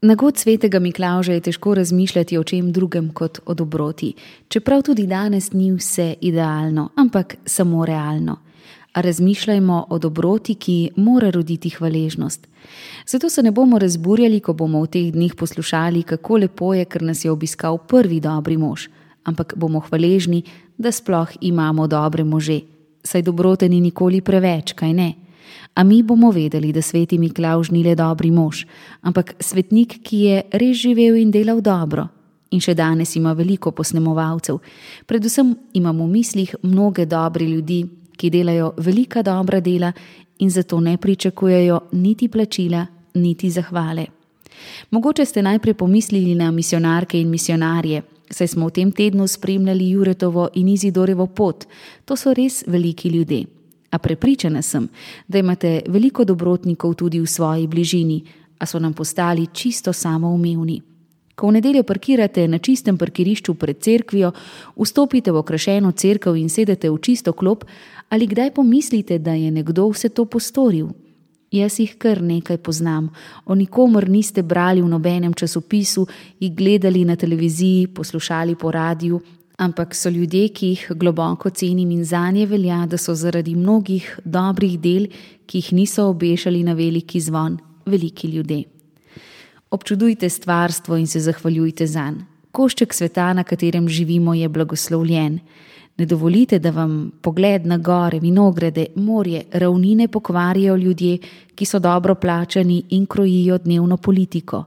Na god svetega Miklavža je težko razmišljati o čem drugem kot o dobroti, čeprav tudi danes ni vse idealno, ampak samo realno. A razmišljajmo o dobroti, ki mora roditi hvaležnost. Zato se ne bomo razburjali, ko bomo v teh dneh poslušali, kako lepo je, ker nas je obiskal prvi dobri mož, ampak bomo hvaležni, da sploh imamo dobre može. Saj dobrote ni nikoli preveč, kaj ne? A mi bomo vedeli, da sveti Miklavž ni le dobri mož, ampak svetnik, ki je res živel in delal dobro. In še danes ima veliko posnemovalcev. Predvsem imam v mislih mnoge dobre ljudi, ki delajo velika dobra dela in zato ne pričakujejo niti plačila, niti zahvale. Mogoče ste najprej pomislili na misijonarke in misijonarje, saj smo v tem tednu spremljali Juretovo in Izidorjevo pot. To so res veliki ljudje. A prepričana sem, da imate veliko dobrotnikov tudi v svoji bližini, a so nam postali čisto samoumevni. Ko v nedeljo parkirate na čistem parkirišču pred cerkvijo, vstopite v okrašeno cerkev in sedete v čisto klop, ali kdaj pomislite, da je nekdo vse to postoril? Jaz jih kar nekaj poznam. O nikomer niste brali v nobenem časopisu, jih gledali na televiziji, poslušali po radiju, ampak so ljudje, ki jih globoko cenim in zanje velja, da so zaradi mnogih dobrih del, ki jih niso obešali na veliki zvon, veliki ljudje. Občudujte stvarstvo in se zahvaljujte zanj. Košček sveta, na katerem živimo, je blagoslovljen. Ne dovolite, da vam pogled na gore, vinograde, morje, ravnine pokvarijo ljudje, ki so dobro plačani in krojijo dnevno politiko.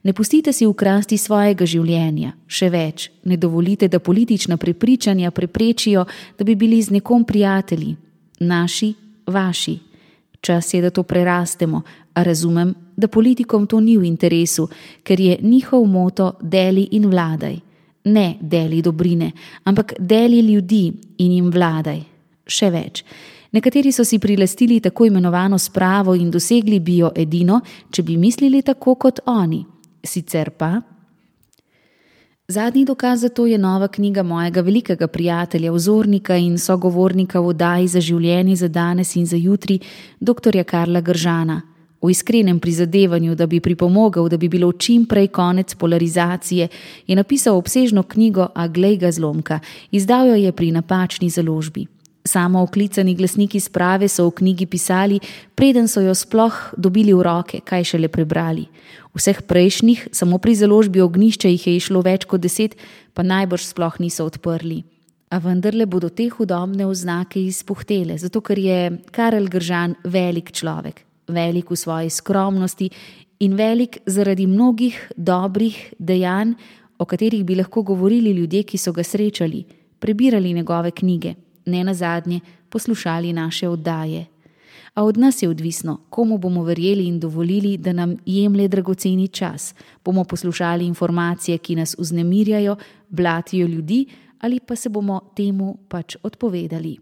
Ne pustite si ukrasti svojega življenja. Še več, ne dovolite, da politična prepričanja preprečijo, da bi bili z nekom prijatelji. Naši, vaši. Čas je, da to prerastemo, a razumem, da politikom to ni v interesu, ker je njihov moto deli in vladaj. Ne deli dobrine, ampak deli ljudi in jim vladaj. Še več. Nekateri so si prilastili tako imenovano spravo in dosegli bi jo edino, če bi mislili tako kot oni. Sicer pa? Zadnji dokaz za to je nova knjiga mojega velikega prijatelja, vzornika in sogovornika v oddaji Za življenje, za danes in za jutri, dr. Karla Gržana. V iskrenem prizadevanju, da bi pripomogel, da bi bilo čim prej konec polarizacije, je napisal obsežno knjigo, a glej ga zlomka, izdal jo je pri napačni založbi. Samo oklicani glasniki sprave so v knjigi pisali, preden so jo sploh dobili v roke, kaj šele prebrali. Vseh prejšnjih, samo pri založbi Ognjišče jih je išlo več kot 10, pa najbrž sploh niso odprli. A vendarle bodo te hudobne oznake izpuhtele, zato ker je Karel Gržan velik človek, velik v svoji skromnosti in velik zaradi mnogih dobrih dejanj, o katerih bi lahko govorili ljudje, ki so ga srečali, prebirali njegove knjige, ne nazadnje poslušali naše oddaje. A od nas je odvisno, komu bomo verjeli in dovolili, da nam jemlje dragoceni čas. Bomo poslušali informacije, ki nas vznemirjajo, blatijo ljudi, ali pa se bomo temu pač odpovedali.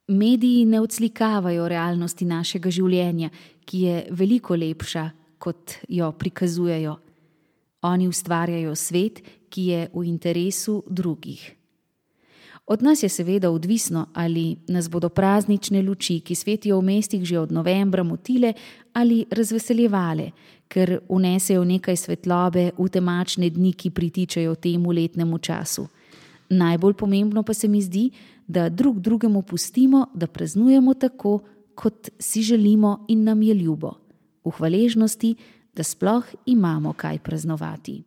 Mediji ne odslikavajo realnosti našega življenja, ki je veliko lepša, kot jo prikazujejo. Oni ustvarjajo svet, ki je v interesu drugih. Od nas je seveda odvisno, ali nas bodo praznične luči, ki svetijo v mestih že od novembra, motile ali razveseljevale, ker vnesejo nekaj svetlobe v temačne dni, ki pritičajo temu letnemu času. Najbolj pomembno pa se mi zdi, da drug drugemu pustimo, da praznujemo tako, kot si želimo in nam je ljubo. V hvaležnosti, da sploh imamo kaj praznovati.